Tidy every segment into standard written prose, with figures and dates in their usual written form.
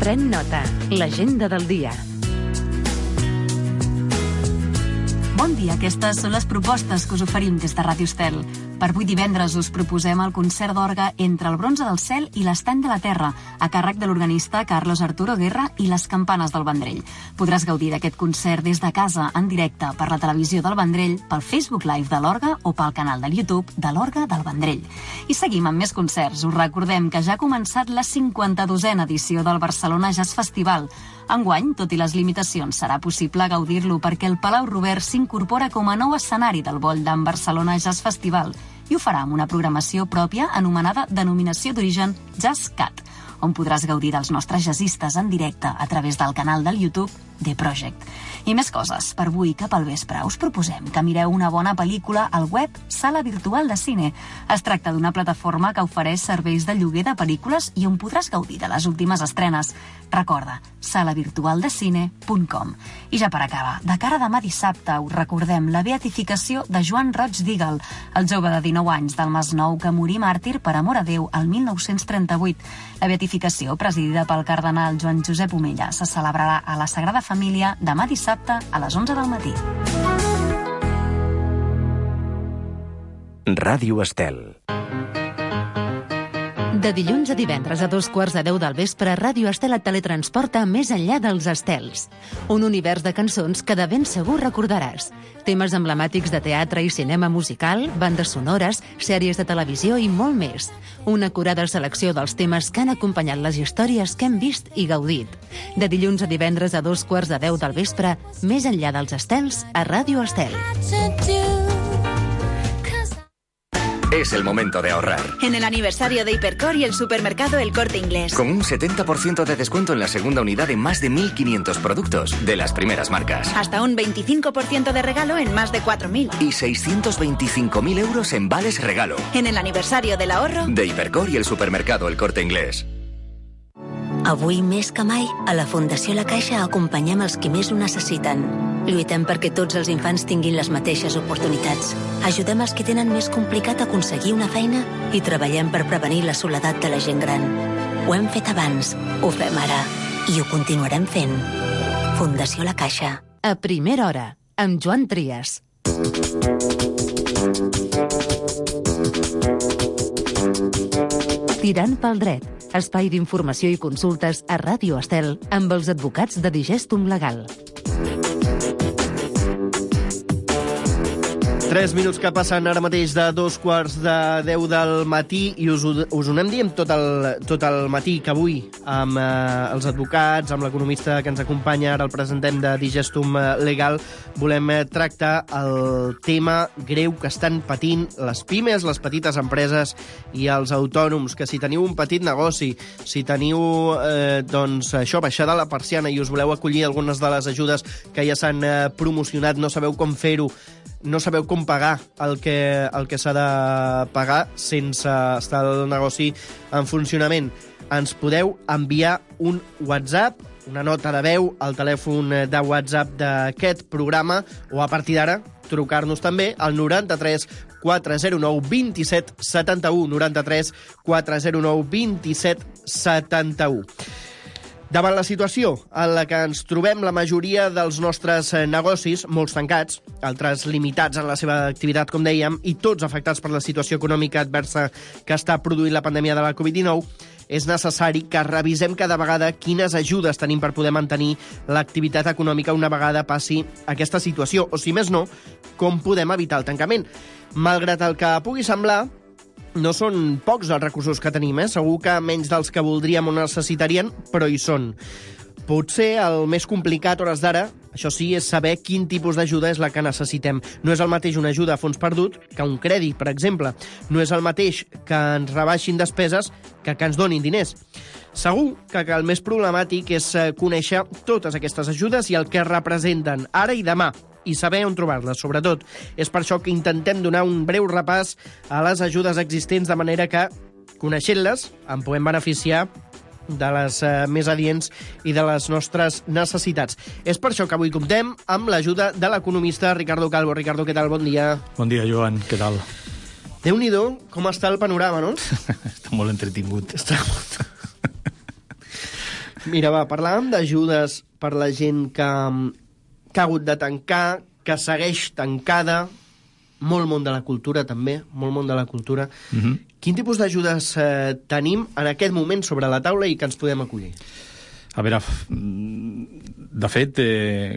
Pren nota. L'agenda del dia. Bon dia, aquestes són les propostes que us oferim des de Ràdio Estel. Per avui divendres us proposem el concert d'orgue Entre el bronze del cel i l'estany de la terra, a càrrec de l'organista Carlos Arturo Guerra i les campanes del Vendrell. Podràs gaudir d'aquest concert des de casa, en directe, per la televisió del Vendrell, pel Facebook Live de l'orgue o pel canal de YouTube de l'orgue del Vendrell. I seguim amb més concerts. Us recordem que ja ha començat la 52a edició del Barcelona Jazz Festival. Enguany, tot i les limitacions, serà possible gaudir-lo perquè el Palau Robert s'incorpora com a nou escenari del Boll d'en Barcelona Jazz Festival i ho farà amb una programació pròpia anomenada Denominació d'Origen Jazz Cat, on podràs gaudir dels nostres jazzistes en directe a través del canal del YouTube The Project. I més coses. Per avui, cap al vespre, us proposem que mireu una bona pel·lícula al web Sala Virtual de Cine. Es tracta d'una plataforma que ofereix serveis de lloguer de pel·lícules i on podràs gaudir de les últimes estrenes. Recorda, salavirtualdecine.com. I ja per acabar, de cara a demà dissabte, us recordem la beatificació de Joan Roig d'Ígel, el jove de 19 anys del Masnou que morí màrtir per amor a Déu el 1938. La beatificació, presidida pel cardenal Joan Josep Omella, se celebrarà a la Sagrada Família demà dissabte a les 11 del matí. Ràdio Estel. De dilluns a divendres a 2:15 del vespre, Ràdio Estel et teletransporta més enllà dels estels. Un univers de cançons que de ben segur recordaràs. Temes emblemàtics de teatre i cinema musical, bandes sonores, sèries de televisió i molt més. Una acurada selecció dels temes que han acompanyat les històries que hem vist i gaudit. De dilluns a divendres a 2:15 del vespre, més enllà dels estels, a Ràdio Estel. Es el momento de ahorrar. En el aniversario de Hipercor y el supermercado El Corte Inglés. Con un 70% de descuento en la segunda unidad en más de 1.500 productos de las primeras marcas. Hasta un 25% de regalo en más de 4.000. Y 625.000 euros en vales regalo. En el aniversario del ahorro de Hipercor y el supermercado El Corte Inglés. Avui més que mai, a la Fundació La Caixa acompanyem els qui més ho necessiten. Lluitem perquè tots els infants tinguin les mateixes oportunitats. Ajudem els que tenen més complicat aconseguir una feina i treballem per prevenir la soledat de la gent gran. Ho hem fet abans, ho fem ara i ho continuarem fent. Fundació La Caixa. A primera hora, amb Joan Trias. Tirant pel dret. Espai d'informació i consultes a Ràdio Estel amb els advocats de Digestum Legal. 3 minuts que passen ara mateix de 2:15 del matí i us ho anem dient tot el matí, que avui amb els advocats, amb l'economista que ens acompanya, ara el presentem de Digestum Legal, volem tractar el tema greu que estan patint les pimes, les petites empreses i els autònoms, que si teniu un petit negoci, si teniu baixada la persiana i us voleu acollir algunes de les ajudes que ja s'han promocionat, no sabeu com fer-ho, no sabeu com pagar el que s'ha de pagar sense estar el negoci en funcionament, ens podeu enviar un WhatsApp, una nota de veu al telèfon de WhatsApp d'aquest programa, o a partir d'ara trucar-nos també al 93 409 27 71, 93 409 27 71. Davant la situació en la que ens trobem la majoria dels nostres negocis, molts tancats, altres limitats en la seva activitat, com dèiem, i tots afectats per la situació econòmica adversa que està produint la pandèmia de la Covid-19, és necessari que revisem cada vegada quines ajudes tenim per poder mantenir l'activitat econòmica una vegada passi aquesta situació, o si més no, com podem evitar el tancament. Malgrat el que pugui semblar, no són pocs els recursos que tenim, Segur que menys dels que voldríem o necessitarien, però hi són. Potser el més complicat a hores d'ara, això sí, és saber quin tipus d'ajuda és la que necessitem. No és el mateix una ajuda a fons perdut que un crèdit, per exemple. No és el mateix que ens rebaixin despeses que ens donin diners. Segur que el més problemàtic és conèixer totes aquestes ajudes i el que representen ara i demà, i saber on trobar-les, sobretot. És per això que intentem donar un breu repàs a les ajudes existents, de manera que, coneixent-les, en podem beneficiar de les més adients i de les nostres necessitats. És per això que avui comptem amb l'ajuda de l'economista Ricardo Calvo. Ricardo, què tal? Bon dia. Bon dia, Joan. Què tal? Déu-n'hi-do, com està el panorama, no? Està molt entretingut. Mira, va, parlàvem d'ajudes per la gent que ha hagut de tancar, que segueix tancada, molt món de la cultura, també, molt món de la cultura. Quin tipus d'ajudes tenim en aquest moment sobre la taula i que ens podem acollir? A veure, de fet,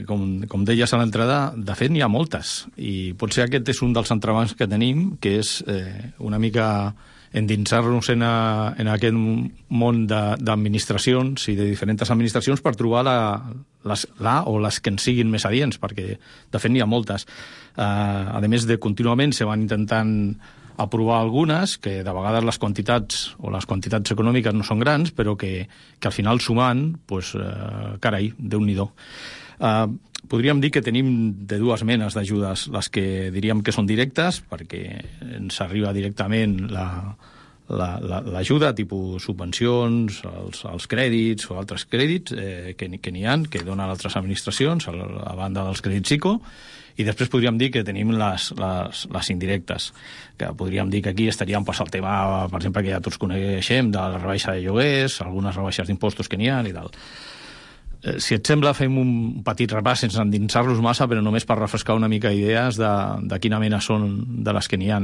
com deies a l'entrada, de fet n'hi ha moltes, i potser aquest és un dels entrebancs que tenim, que és una mica endinsar-nos en aquest món d'administracions i de diferents administracions per trobar o les que ens siguin més adients, perquè de fet n'hi ha moltes. A més de contínuament se van intentant aprovar algunes, que de vegades les quantitats econòmiques no són grans, però que al final sumant, doncs, carai, Déu-n'hi-do. Podríem dir que tenim de dues menes d'ajudes, les que diríem que són directes, perquè ens arriba directament l'ajuda, tipus subvencions, els crèdits o altres crèdits que n'hi ha, que donen altres administracions, a banda dels crèdits ICO, i després podríem dir que tenim les indirectes, que podríem dir que aquí estaríem el tema, per exemple, que ja tots coneixem, de la rebaixa de lloguers, algunes rebaixes d'impostos que n'hi ha i tal. Si et sembla, fem un petit repàs sense endinsar-los massa, però només per refrescar una mica idees de quina mena són de les que n'hi ha.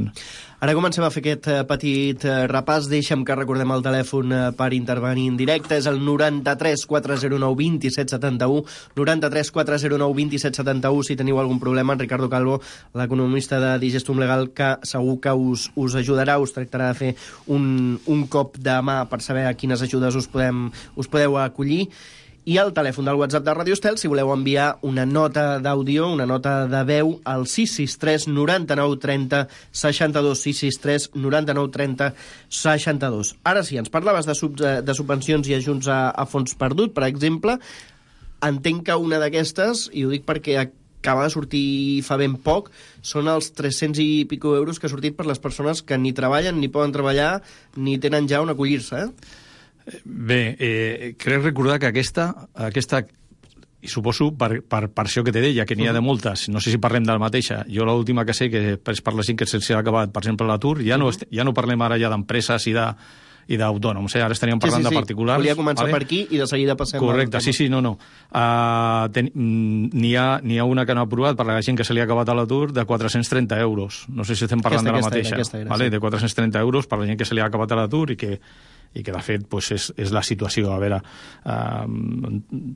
Ara comencem a fer aquest petit repàs. Deixa'm que recordem el telèfon per intervenir en directe. És el 93 409 27 71, 93 409 27 71. Si teniu algun problema, en Ricardo Calvo, l'economista de Digestum Legal, que segur que us ajudarà, us tractarà de fer un cop de mà per saber a quines ajudes us podeu acollir. I el telèfon del WhatsApp de Ràdio Estel, si voleu enviar una nota d'àudio, una nota de veu, al 663 99 30 62, 663 99 30 62. Ara sí, ens parlaves de subvencions i ajuts a fons perdut, per exemple. Entenc que una d'aquestes, i ho dic perquè acaba de sortir fa ben poc, són els 300 i pico euros que ha sortit per les persones que ni treballen, ni poden treballar, ni tenen ja on acollir-se, Bé, crec recordar que aquesta, i suposo per això que te deia, que n'hi ha de moltes, no sé si parlem de la mateixa. Jo l'última que sé, que és per la gent que se'ls ha acabat, per exemple, l'atur, ja no parlem ara ja d'empreses i d'autònoms, ara estaríem parlant de particulars. Volia començar per aquí i de seguida passem... Correcte, sí, no. N'hi ha una que no ha aprovat per la gent que se li ha acabat a l'atur de 430 euros. No sé si estem parlant de la mateixa. De 430 euros per la gent que se li ha acabat a l'atur i que de fet és la situació. A veure,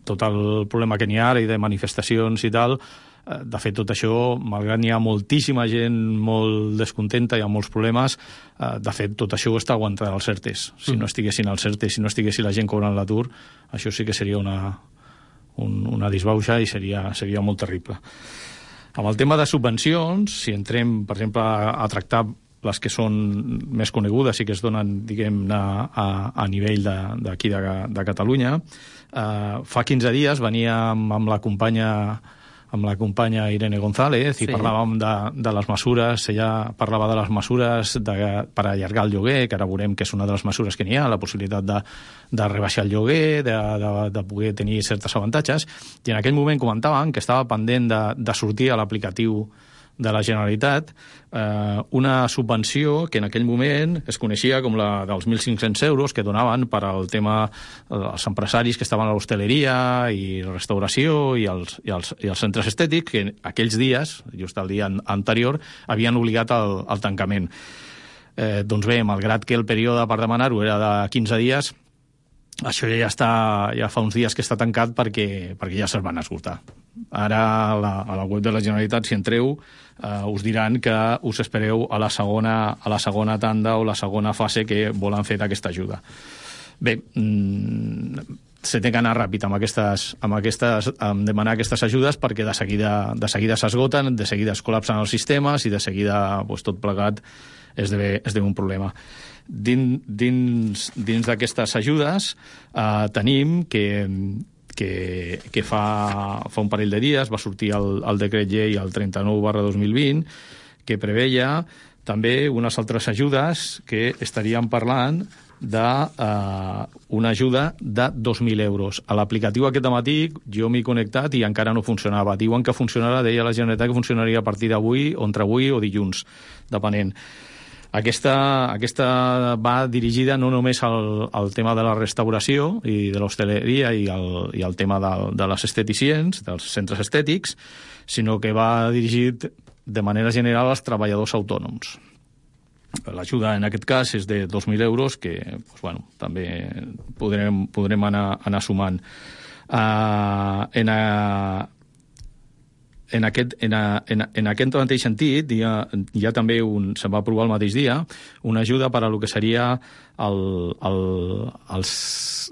tot el problema que n'hi ha ara i de manifestacions i tal, de fet tot això, malgrat n'hi ha moltíssima gent molt descontenta, hi ha molts problemes, de fet tot això ho està aguantant els ERTEs. Si no estiguessin els ERTEs, si no estiguessin la gent cobrant l'atur, això sí que seria una disbauxa i seria molt terrible. Amb el tema de subvencions, si entrem, per exemple, a tractar les que són més conegudes i que es donen, diguem-ne, a nivell d'aquí de Catalunya. Fa 15 dies veníem amb la companya Irene González i parlàvem de les mesures, ella parlava de les mesures per allargar el lloguer, que ara veurem que és una de les mesures que n'hi ha, la possibilitat de rebaixar el lloguer, de poder tenir certes avantatges, i en aquell moment comentaven que estava pendent de sortir a l'aplicatiu de la Generalitat una subvenció que en aquell moment es coneixia com la dels 1.500 euros que donaven per al tema dels empresaris que estaven a l'hostaleria i la restauració i els centres estètics, que aquells dies, just el dia anterior, havien obligat al tancament. Doncs bé, malgrat que el període per demanar-ho era de 15 dies, això ja fa uns dies que està tancat perquè ja se'ls van esgotar. Ara a la web de la Generalitat, si entreu, us diran que us espereu a la segona tanda o la segona fase que volen fer d'aquesta ajuda. Bé, se té que anar ràpid amb demanar aquestes ajudes perquè de seguida s'esgoten, de seguida es col·lapsen els sistemes i de seguida tot plegat esdevé un problema. Dins d'aquestes ajudes tenim que fa un parell de dies va sortir el decret llei el 39/2020 que preveia també unes altres ajudes que estaríem parlant d'una ajuda de 2.000 euros. A l'aplicatiu aquest matí jo m'he connectat i encara no funcionava. Diuen que funcionarà, deia la Generalitat, que funcionaria a partir d'avui, o entre avui o dilluns, depenent. Aquesta va dirigida no només al tema de la restauració i de l'hostaleria i al tema de les esteticients, dels centres estètics, sinó que va dirigit de manera general als treballadors autònoms. L'ajuda en aquest cas és de 2.000 euros, que també podrem anar sumant. En aquest mateix sentit, hi ha també se va aprovar el mateix dia una ajuda per a lo que seria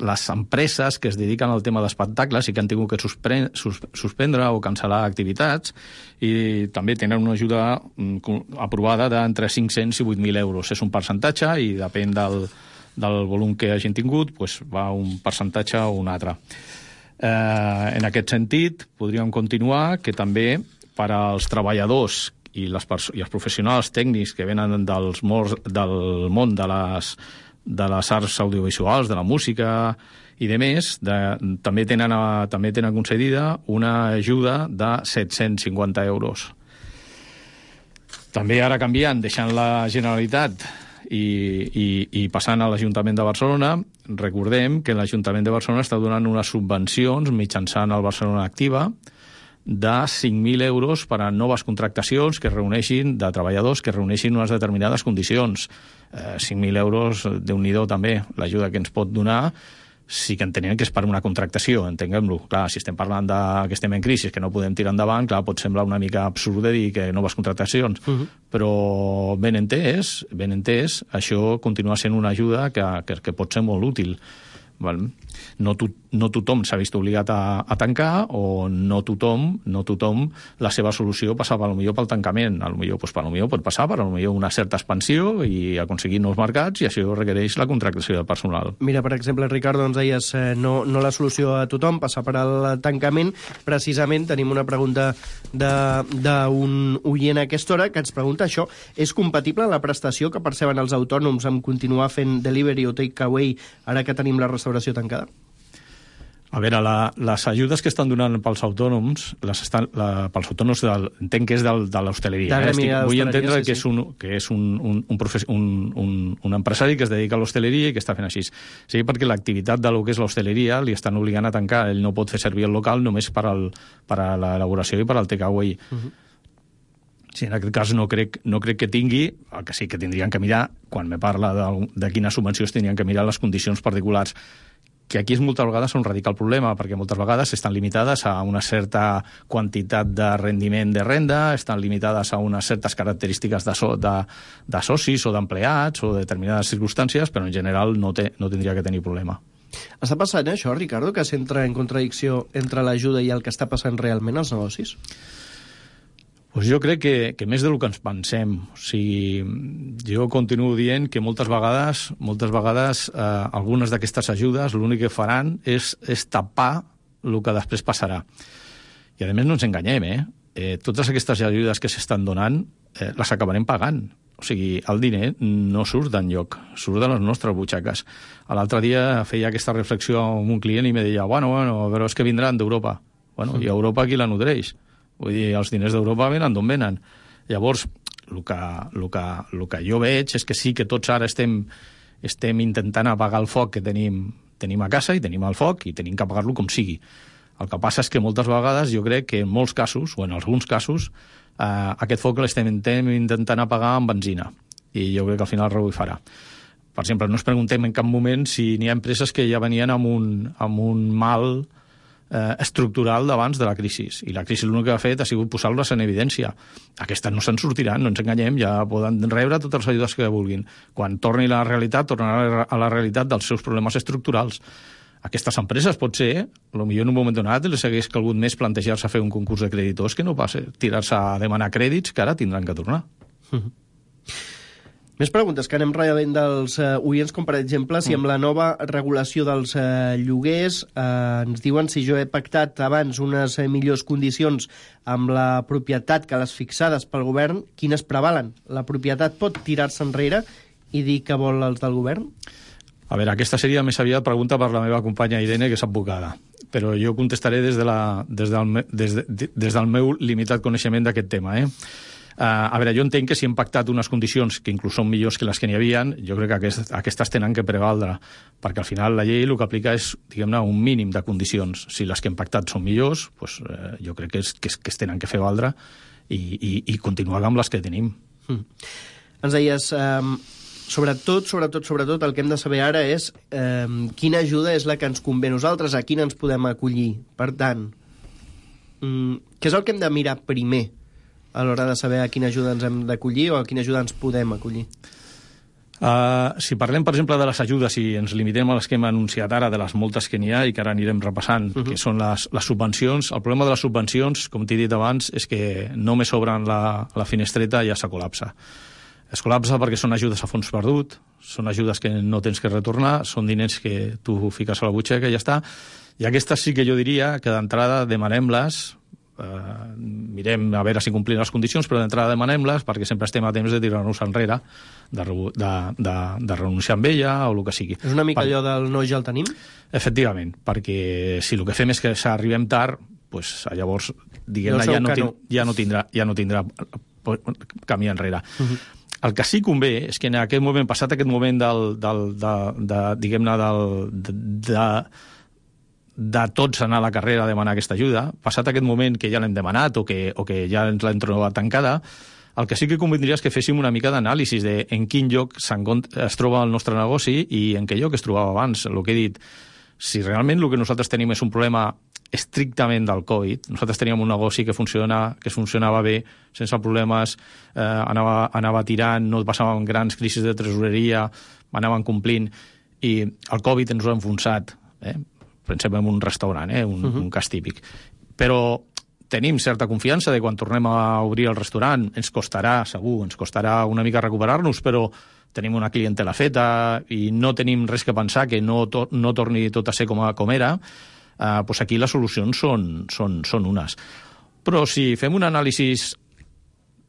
les empreses que es dediquen al tema d'espectacles i que han tingut que suspendre o cancel·lar activitats, i també tenen una ajuda aprovada d'entre 500 i 8.000 euros. És un percentatge i depèn del volum que hagin tingut, va un percentatge o un altre. En aquest sentit, podríem continuar que també per als treballadors i els professionals tècnics que venen del món de les arts audiovisuals, de la música i de més, també tenen concedida una ajuda de 750 euros. També ara canviant, deixant la Generalitat i passant a l'Ajuntament de Barcelona, recordem que l'Ajuntament de Barcelona està donant unes subvencions mitjançant el Barcelona Activa de 5.000 euros per a noves contractacions que reuneixin, de treballadors que reuneixin unes determinades condicions. 5.000 euros, Déu-n'hi-do també, l'ajuda que ens pot donar, sí que entenem que és per una contractació, entenguem-lo. Clar, si estem parlant que estem en crisi, que no podem tirar endavant, clar, pot semblar una mica absurd de dir que noves contractacions, però ben entès, això continua sent una ajuda que pot ser molt útil. No tothom s'ha vist obligat a tancar, o no tothom la seva solució passava potser pel tancament. Potser pot passar per una certa expansió i aconseguir nous mercats, i això requereix la contractació de personal. Mira, per exemple, Ricardo, ens deies no la solució a tothom passar per al tancament. Precisament tenim una pregunta d'un oient a aquesta hora que ens pregunta això: és compatible la prestació que perceben els autònoms amb continuar fent delivery o take-away ara que tenim la restauració tancada? A veure, les ajudes que estan donant pels autònoms, entenc que és de l'hostaleria. Vull entendre que és un empresari que es dedica a l'hostaleria i que està fent així. Sí, perquè l'activitat de lo que és l'hostaleria li estan obligant a tancar. Ell no pot fer servir el local només per a l'elaboració i per al take-away. Sí, en aquest cas no crec que tingui, el que sí que tindrien que mirar, quan me parla de quines subvencions tindrien que mirar, les condicions particulars, que aquí moltes vegades és un radical problema, perquè moltes vegades estan limitades a una certa quantitat de rendiment de renda, estan limitades a unes certes característiques de socis o d'empleats o de determinades circumstàncies, però en general no tindria que tenir problema. Està passant això, Ricardo, que s'entra en contradicció entre l'ajuda i el que està passant realment als negocis? Pues jo crec que més del que ens pensem. O sigui, jo continuo dient que moltes vegades algunes d'aquestes ajudes l'únic que faran és tapar el que després passarà. I a més no ens enganyem, totes aquestes ajudes que s'estan donant les acabarem pagant. O sigui, el diner no surt d'enlloc, surt de les nostres butxaques. L'altre dia feia aquesta reflexió amb un client i me deia, bueno, però és que vindran d'Europa. Bueno, i a Europa qui la nodreix? Vull dir, els diners d'Europa venen d'on venen. Llavors, el que jo veig és que sí que tots ara estem intentant apagar el foc que tenim a casa, i tenim el foc i tenim que apagar-lo com sigui. El que passa és que moltes vegades jo crec que en molts casos, o en alguns casos, aquest foc l'estem intentant apagar amb benzina, i jo crec que al final rebuifarà. Per exemple, no ens preguntem en cap moment si n'hi ha empreses que ja venien amb un mal estructural d'abans de la crisi, i la crisi l'únic que ha fet ha sigut posar-les en evidència. Aquestes no se'n sortiran, no ens enganyem, ja poden rebre totes les ajudes que vulguin. Quan torni la realitat, tornarà a la realitat dels seus problemes estructurals. Aquestes empreses, potser, potser en un moment donat els hagués calgut més plantejar-se a fer un concurs de creditors que no pas tirar-se a demanar crèdits que ara tindran que tornar. Més preguntes que anem rebent dels oients, com per exemple, si amb la nova regulació dels lloguers ens diuen si jo he pactat abans unes millors condicions amb la propietat que les fixades pel govern, quines prevalen? La propietat pot tirar-se enrere i dir que vol els del govern? A veure, aquesta seria més aviat pregunta per la meva companya Irene, que és advocada, però jo contestaré des del meu limitat coneixement d'aquest tema. A veure, jo entenc que si hem pactat unes condicions que inclús són millors que les que n'hi havia, jo crec que aquestes tenen que prevaldre, perquè al final la llei el que aplica és, diguem-ne, un mínim de condicions. Si les que hem pactat són millors, doncs, jo crec que es tenen que fer valdre i continuar amb les que tenim. Ens deies, sobretot, el que hem de saber ara és quina ajuda és la que ens convé a nosaltres, a quina ens podem acollir. Per tant, què és el que hem de mirar primer a l'hora de saber a quina ajuda ens hem d'acollir o a quina ajuda ens podem acollir? Si parlem, per exemple, de les ajudes i ens limitem a les que hem anunciat ara, de les moltes que n'hi ha i que ara anirem repassant, que són les subvencions, el problema de les subvencions, com t'he dit abans, és que només obren la finestreta i ja se col·lapsa. Es col·lapsa perquè són ajudes a fons perdut, són ajudes que no tens que retornar, són diners que tu fiques a la butxaca i ja està. I aquestes sí que jo diria que d'entrada demanem-les, mirem a veure si complim les condicions, però d'entrada demanem-les perquè sempre estem a temps de tirar-nos enrere, de renunciar amb ella o el que sigui. És una mica allò del no ja el tenim? Efectivament, perquè si el que fem és que arribem tard, doncs llavors, diguem-ne, ja no tindrà camí enrere. El que sí convé és que en aquest moment, passat aquest moment diguem-ne, de tots anar a la carrera a demanar aquesta ajuda, passat aquest moment que ja l'hem demanat o que ja ens l'hem trobat tancada, el que sí que convindria és que féssim una mica d'anàlisi de en quin lloc es troba el nostre negoci i en què lloc es trobava abans. El que he dit, si realment el que nosaltres tenim és un problema estrictament del Covid, nosaltres teníem un negoci que funcionava bé, sense problemes, anava tirant, no passàvem grans crisis de tresoreria, anàvem complint, i el Covid ens ho ha enfonsat, pensem en un restaurant, un cas típic. Però tenim certa confiança de quan tornem a obrir el restaurant, ens costarà una mica recuperar-nos, però tenim una clientela feta i no tenim res que pensar que no torni tot a ser com era, doncs aquí les solucions són unes. Però si fem un anàlisi,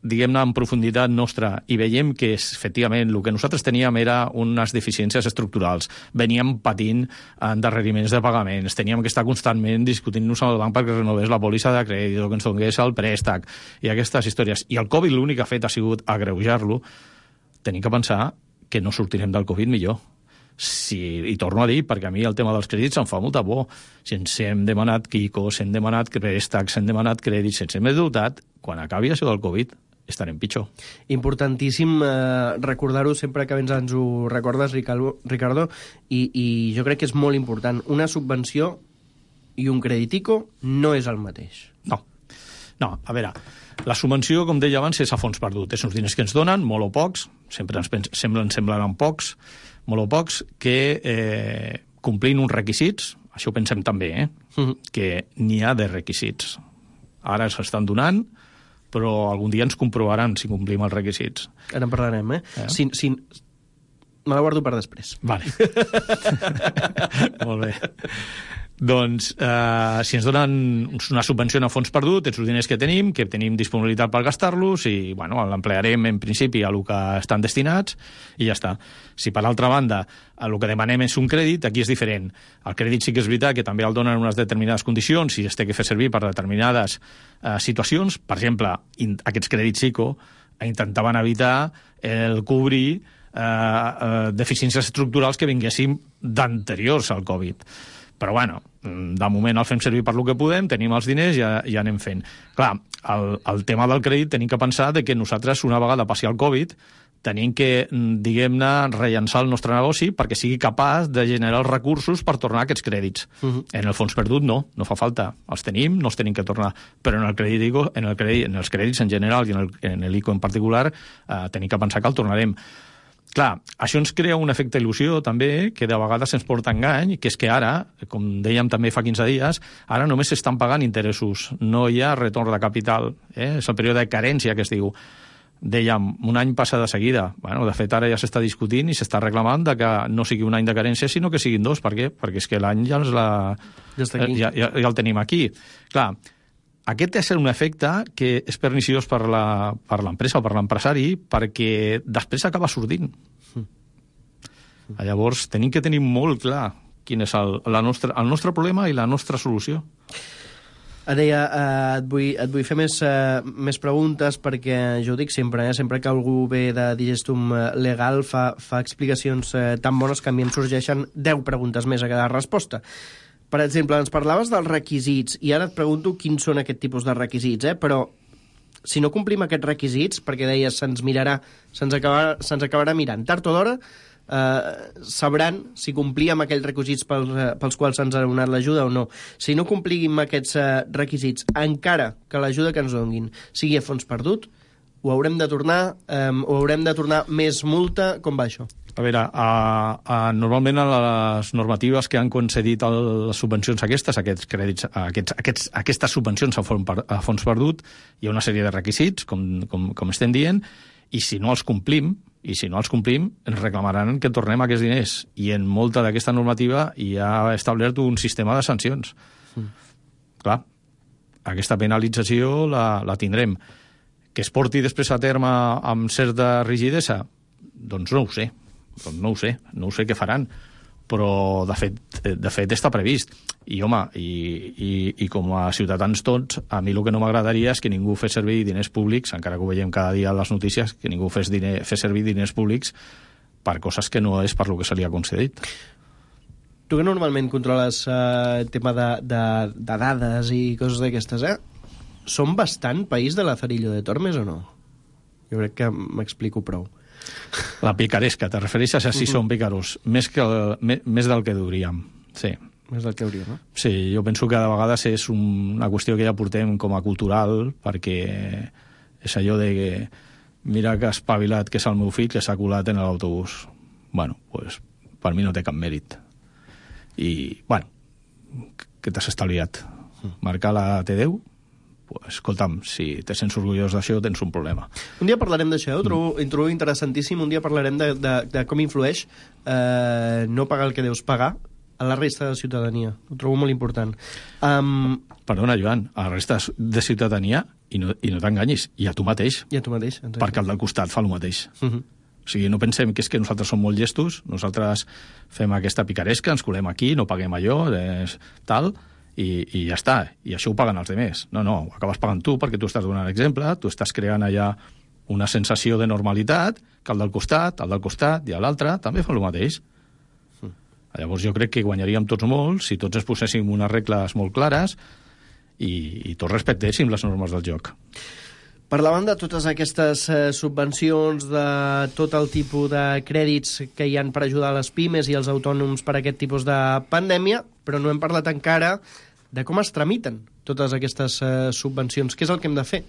diguem-ne, en profunditat nostra i veiem que efectivament el que nosaltres teníem era unes deficiències estructurals, veníem patint endarreriments de pagaments, teníem que estar constantment discutint-nos amb el banc perquè renovés la pòlissa de crèdit o que ens donés el préstec i aquestes històries. I el Covid l'únic que ha fet ha sigut agreujar-lo. Tenim que pensar que no sortirem del Covid millor. I torno a dir, perquè a mi el tema dels crèdits em fa molta por. Si ens hem demanat quicos, hem demanat préstecs, hem demanat crèdits, ens hem dotat, quan acabi això del Covid estarem pitjor. Importantíssim recordar-ho sempre que ens ho recordes, Ricardo, i jo crec que és molt important. Una subvenció i un crèditico no és el mateix. No, a veure, la subvenció, com deia abans, és a fons perdut. És uns diners que ens donen, molt o pocs, sempre semblen pocs, molt o pocs, que complint uns requisits, això ho pensem també, que n'hi ha de requisits. Ara s'estan donant, però algun dia ens comprovaran si complim els requisits. Ara en parlarem, me la guardo per després. Vale. Molt bé. Doncs, si ens donen una subvenció a fons perdut, els diners que tenim disponibilitat per gastar-los i, l'emplearem en principi a el que estan destinats i ja està. Si per altra banda el que demanem és un crèdit, aquí és diferent. El crèdit sí que és veritat que també el donen en unes determinades condicions i es té que fer servir per determinades situacions. Per exemple, aquests crèdits ICO intentaven evitar el cobrir deficiències estructurals que vinguessin d'anteriors al Covid. Però, de moment el fem servir per lo que podem, tenim els diners i ja anem fent. Clar, el tema del crèdit tenim que pensar que nosaltres, una vegada passi el Covid, tenim que, diguem-ne, rellançar el nostre negoci perquè sigui capaç de generar els recursos per tornar aquests crèdits. En el fons perdut no fa falta. Els tenim, no els tenim que tornar. Però en els crèdits en general i en l'ICO en particular tenim que pensar que el tornarem. Clar, això ens crea un efecte il·lusió també, que de vegades ens porta engany, que és que ara, com dèiem també fa 15 dies, ara només s'estan pagant interessos, no hi ha retorn de capital, és el període de carència que es diu. Dèiem, un any passa de seguida. De fet, ara ja s'està discutint i s'està reclamant que no sigui un any de carència, sinó que siguin 2. Per què? Perquè és que l'any ja el tenim aquí. Clar, aquest és un efecte que és perniciós per l'empresa o per l'empresari perquè després acaba sortint. Llavors, tenim que tenir molt clar quin és el nostre problema i la nostra solució. Deia, et vull fer més preguntes perquè jo ho dic sempre, sempre que algú ve de Digestum Legal fa explicacions tan bones que a mi em sorgeixen 10 preguntes més a cada resposta. Per exemple, ens parlaves dels requisits i ara et pregunto quins són aquest tipus de requisits, però si no complim aquests requisits, perquè deies se'ns acabarà mirant tard o d'hora, sabran si complíem aquells requisits pels quals se'ns ha donat l'ajuda o no. Si no complim aquests requisits, encara que l'ajuda que ens donin sigui a fons perdut, ho haurem de tornar més multa? Com va això? A veure, normalment a les normatives que han concedit les subvencions aquests crèdits, aquestes subvencions a fons perdut, hi ha una sèrie de requisits, com estem dient, i si no els complim, ens reclamaran que tornem aquests diners. I en molta d'aquesta normativa hi ha establert un sistema de sancions. Clar, aquesta penalització la tindrem. Que es porti després a terme amb certa rigidesa? Doncs no ho sé. No ho sé què faran. Però, de fet està previst. I, home, i com a ciutadans tots, a mi el que no m'agradaria és que ningú fes servir diners públics, encara que ho veiem cada dia a les notícies, que ningú fes servir diners públics per coses que no és per lo que se li ha concedit. Tu que normalment controles tema de dades i coses d'aquestes, som bastant país de Lazarillo de Tormes o no? Jo crec que m'explico prou. La picaresca, te refereixes a si som pícaros? Més del que hauríem, sí. Més del que hauríem, no? Sí, jo penso que de vegades és una qüestió que ja portem com a cultural, perquè és allò de que mira que espavilat que és el meu fill que s'ha colat en l'autobús. Bueno, pues per mi no té cap mèrit. I, bueno, que t'has estalviat? Marcar la T10? Pues, escolta'm, si te sents orgullós d'això, tens un problema. Un dia parlarem d'això, ho trobo interessantíssim. Un dia parlarem de com influeix no pagar el que deus pagar a la resta de ciutadania. Ho trobo molt important. Perdona, Joan, a la resta de ciutadania, i no t'enganyis, i a tu mateix. I a tu mateix. Exacte. Perquè el del costat fa el mateix. O sigui, no pensem que és que nosaltres som molt llestos, nosaltres fem aquesta picaresca, ens colem aquí, no paguem allò, tal, i ja està, i això ho paguen els altres. No, ho acabes pagant tu perquè tu estàs donant exemple, tu estàs creant allà una sensació de normalitat, que el del costat i l'altre també fa el mateix. Llavors jo crec que guanyaríem tots molt si tots ens poséssim unes regles molt clares i tots respectéssim les normes del joc. Parlàvem de totes aquestes subvencions, de tot el tipus de crèdits que hi han per ajudar les pimes i els autònoms per aquest tipus de pandèmia, però no hem parlat encara de com es tramiten totes aquestes subvencions. Què és el que hem de fer?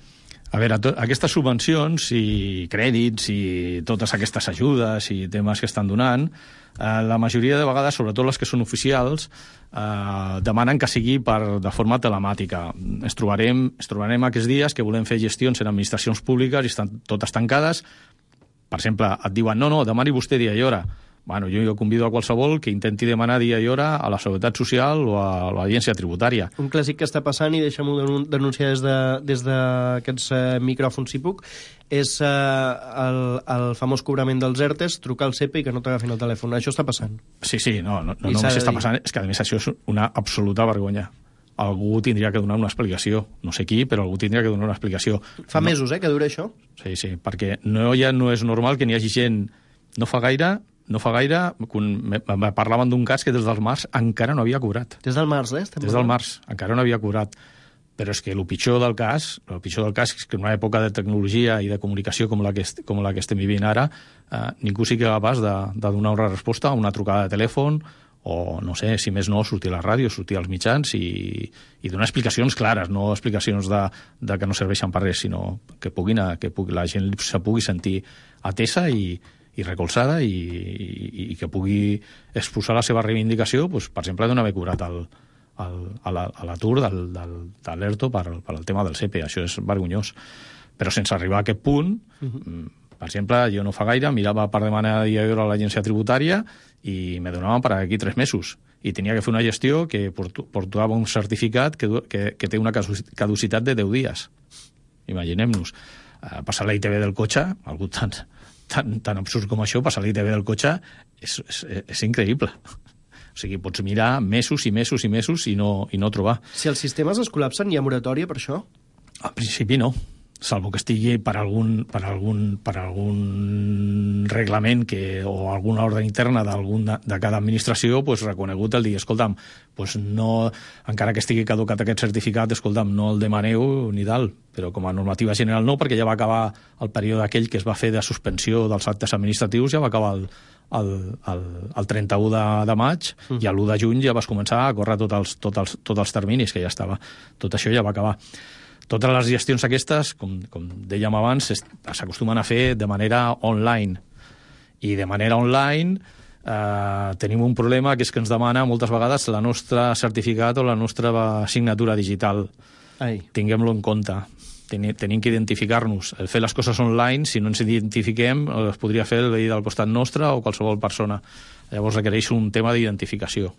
A veure, aquestes subvencions i crèdits i totes aquestes ajudes i temes que estan donant, la majoria de vegades, sobretot les que són oficials, demanen que sigui de forma telemàtica. Ens trobarem aquests dies que volem fer gestions en administracions públiques i estan totes tancades. Per exemple, et diuen, no, demani vostè dia i hora. Bueno, jo convido a qualsevol que intenti demanar dia i hora a la Seguretat Social o a l'Agència Tributària. Un clàssic que està passant, i deixem-ho denunciar des d'aquests micròfons, si puc, és el famós cobrament dels ERTEs, trucar al CEPE i que no t'agafin el telèfon. Això està passant. Sí, no només està passant, és que a més això és una absoluta vergonya. Algú tindria que donar una explicació. No sé qui, però algú tindria que donar una explicació. Fa mesos, que dura això? Sí, perquè no és normal que n'hi hagi gent... No fa gaire, parlaven d'un cas que des del març encara no havia cobrat. Des del març, Des del març, encara no havia cobrat. Però és que el pitjor del cas és que en una època de tecnologia i de comunicació com la que estem vivint ara, ningú sigui capaç de donar una resposta a una trucada de telèfon o, no sé, si més no, sortir a la ràdio, sortir als mitjans i donar explicacions clares, no explicacions de que no serveixen per res, sinó que la gent se pugui sentir atesa i recolzada i que pugui exposar la seva reivindicació, doncs, per exemple, d'on haver cobrat a l'atur de l'ERTO per al tema del CEPE. Això és vergonyós. Però sense arribar a aquest punt, per exemple, jo no fa gaire mirava per demanar dia i hora a l'agència tributària i me donaven per aquí 3 mesos. I tenia que fer una gestió que portava un certificat que té una caducitat de 10 dies. Imaginem-nos. Passar la ITV del cotxe, algú tan absurd com això, passar l'ITV del cotxe és increïble. O sigui, pots mirar mesos i mesos i mesos i no trobar. Si els sistemes es col·lapsen, hi ha moratòria per això? Al principi no, salvo que estigui per algun reglament o alguna ordre interna de cada administració reconegut el dir, escolta'm, no, encara que estigui caducat aquest certificat, escolta'm, no el demaneu ni tal, però com a normativa general no, perquè ja va acabar el període aquell que es va fer de suspensió dels actes administratius, ja va acabar el 31 de maig i l'1 de juny ja vas començar a córrer tots els terminis, que ja estava. Tot això ja va acabar. Totes les gestions aquestes, com dèiem abans, s'acostumen a fer de manera online. I de manera online tenim un problema, que és que ens demana moltes vegades la nostra certificat o la nostra signatura digital. Tinguem-lo en compte. Tenim que identificar-nos. El fer les coses online, si no ens identifiquem, es podria fer el veí del costat nostre o qualsevol persona. Llavors requereix un tema d'identificació.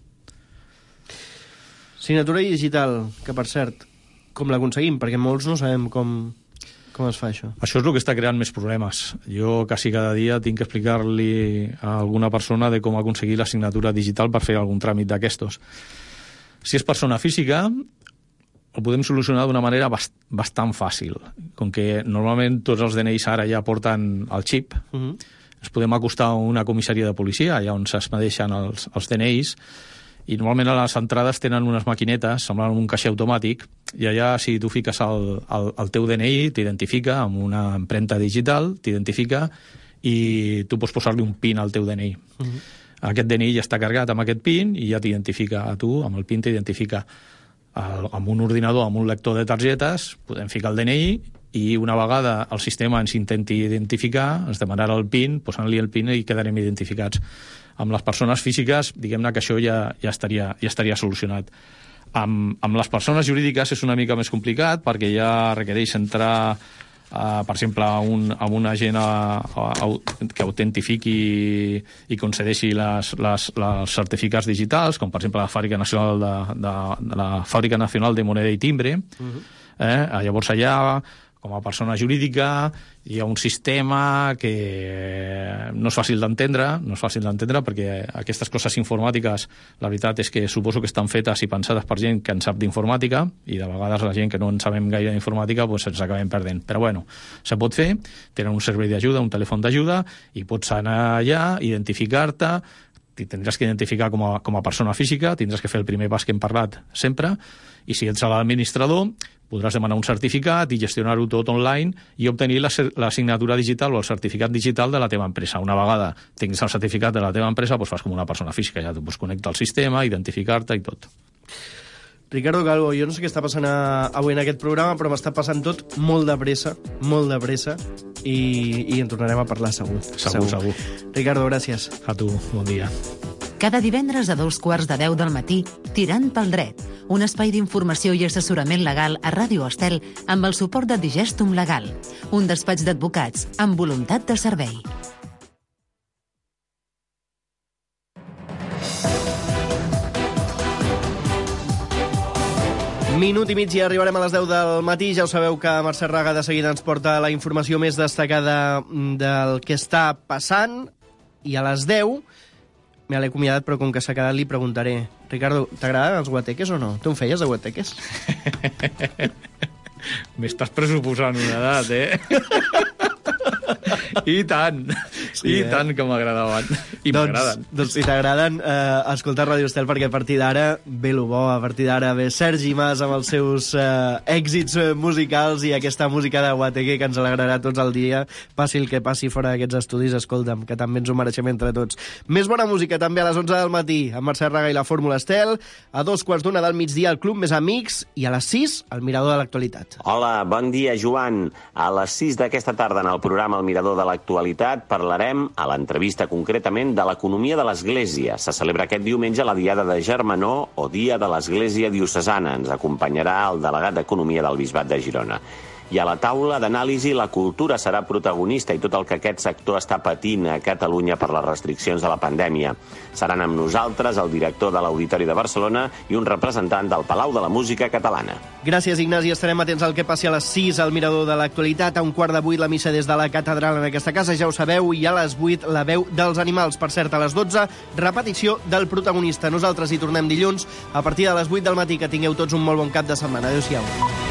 Signatura digital, que per cert, com l'aconseguim? Perquè molts no sabem com es fa això. Això és el que està creant més problemes. Jo quasi cada dia tinc que explicar-li a alguna persona de com aconseguir la signatura digital per fer algun tràmit d'aquestos. Si és persona física, ho podem solucionar d'una manera bastant fàcil. Com que normalment tots els DNIs ara ja porten el xip, ens podem acostar a una comissaria de policia, allà on s'expedeixen els DNIs, i normalment a les entrades tenen unes maquinetes, semblant un caixer automàtic, i allà si tu fiques el teu DNI, t'identifica amb una empremta digital, t'identifica i tu pots posar-li un PIN al teu DNI. Aquest DNI ja està carregat amb aquest PIN i ja t'identifica a tu, amb el PIN t'identifica amb un ordinador, amb un lector de targetes, podem ficar el DNI i una vegada el sistema ens intenti identificar, ens demanarà el PIN, posant-li el PIN i quedarem identificats. Amb les persones físiques, diguem-ne que això ja estaria solucionat. Amb les persones jurídiques és una mica més complicat perquè ja requereix entrar, per exemple, a un agent que autentifiqui i concedeixi els certificats digitals, com per exemple la Fàbrica Nacional de Moneda i Timbre. Llavors allà, com a persona jurídica, hi ha un sistema que no és fàcil d'entendre perquè aquestes coses informàtiques, la veritat és que suposo que estan fetes i pensades per gent que en sap d'informàtica i de vegades la gent que no en sabem gaire d'informàtica ens acabem perdent. Però bueno, se pot fer, tenen un servei d'ajuda, un telèfon d'ajuda i pots anar allà, identificar-te, tindràs que identificar com a persona física, tindràs que fer el primer pas que hem parlat sempre, i si ets l'administrador podràs demanar un certificat i gestionar-ho tot online i obtenir la signatura digital o el certificat digital de la teva empresa. Una vegada tinguis el certificat de la teva empresa, doncs fas com una persona física, ja tu pots connectar al sistema, identificar-te i tot. Ricardo Calvo, jo no sé què està passant avui en aquest programa, però m'està passant tot molt de pressa, i en tornarem a parlar segur. Segur. Ricardo, gràcies. A tu, bon dia. Cada divendres a 2:15 del matí, Tirant pel dret, un espai d'informació i assessorament legal a Ràdio Estel amb el suport de Digestum Legal, un despatx d'advocats amb voluntat de servei. Minut i mig i arribarem a les 10 del matí. Ja ho sabeu que Mercè Raga de seguida ens porta la informació més destacada del que està passant. I a les 10 me l'he acomiadat, però com que s'ha quedat li preguntaré: Ricardo, t'agraden els guateques o no? Tu en feies de guateques? M'estàs pressuposant una edat, I tant, i tant que m'agradaven. I m'agraden. Doncs si t'agraden, escolta Ràdio Estel, perquè a partir d'ara ve lo bo, a partir d'ara ve Sergi Mas amb els seus èxits musicals i aquesta música de guateque que ens alegrarà tots el dia, passi el que passi fora d'aquests estudis, escolta'm, que també ens ho mereixem entre tots. Més bona música també a les 11 del matí, amb Mercè Raga i la Fórmula Estel, a 2:15 del migdia el Club Més Amics i a les 6 el Mirador de l'Actualitat. Hola, bon dia, Joan. A les 6 d'aquesta tarda en el programa El Mirador de l'Actualitat parlarem, a l'entrevista concretament, de l'economia de l'Església. Se celebra aquest diumenge la Diada de Germanor o Dia de l'Església Diocesana. Ens acompanyarà el delegat d'Economia del Bisbat de Girona. I a la taula d'anàlisi la cultura serà protagonista i tot el que aquest sector està patint a Catalunya per les restriccions de la pandèmia. Seran amb nosaltres el director de l'Auditori de Barcelona i un representant del Palau de la Música Catalana. Gràcies, Ignasi. Estarem atents al que passi a les 6 al Mirador de l'Actualitat. A 7:15 la missa des de la catedral en aquesta casa, ja ho sabeu, i a les 8 la veu dels animals. Per cert, a les 12, repetició del protagonista. Nosaltres hi tornem dilluns a partir de les 8 del matí. Que tingueu tots un molt bon cap de setmana. Adéu-siau.